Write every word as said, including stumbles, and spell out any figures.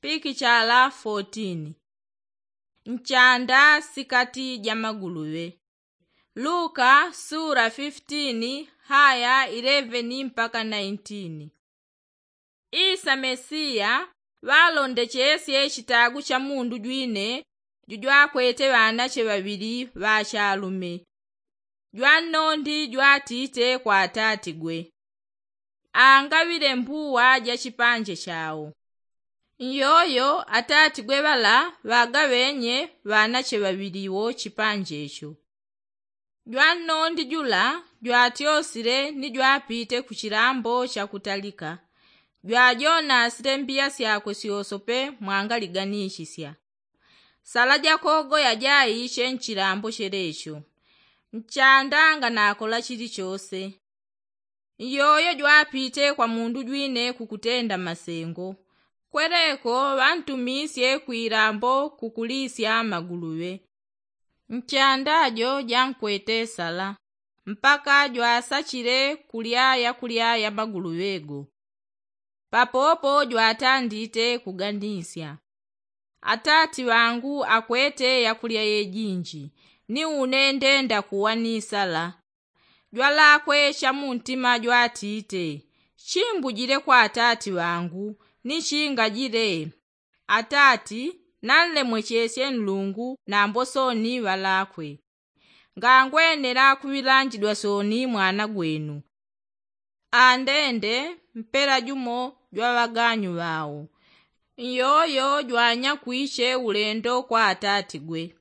pikichala fourteen. Nchanda sikati ja maguluŵe. Luka sura fifteen haya eleven mpaka nineteen. Isa mesiya ŵalondechesye chitagu cha mundu jwine jujwakwete ŵanache ŵaŵili ŵachalume. Jwannondi jwatite kwa atatigwe, angaŵile mbuwa ja chipanje chao. Nyoyo atatigwe ŵala ŵagaŵenye ŵanache ŵaŵili wo chipanje cho. Jwannondi jula jwatyosile ni jwapite ku chilambo chakutalika, jwajonasile mbiya syakwe syosope mwangaliganishisya. Sala jakogoya jaiche nchilambo chelecho. Nchanda nganakola chilichose. Nyoyo jwapite kwa mundu jwine kukutenda masengo. Kweleko ŵantumisye kwilambo kukulisya maguluŵe. Nchanda jo jankwete sala mpaka jwasachile kulya yakulya ya maguluŵe go. Papopo jwatandite kuganisya, atati ŵangu akwete yakulya yejinji, ni une ndenda kuwa ni sala. Jwalakwe cha muntima jwatite, chimbujile kwa atati ŵangu ni chingajile. Atati, nanlemwechesye nlungu nambo soni ŵalakwe. Ngangwenela kuŵilanjidwa soni mwana gwenu. Andende mpela jumo jwa ŵaganyu ŵao. Nyoyo jwanyakwiche ulendo kwa atatigwe.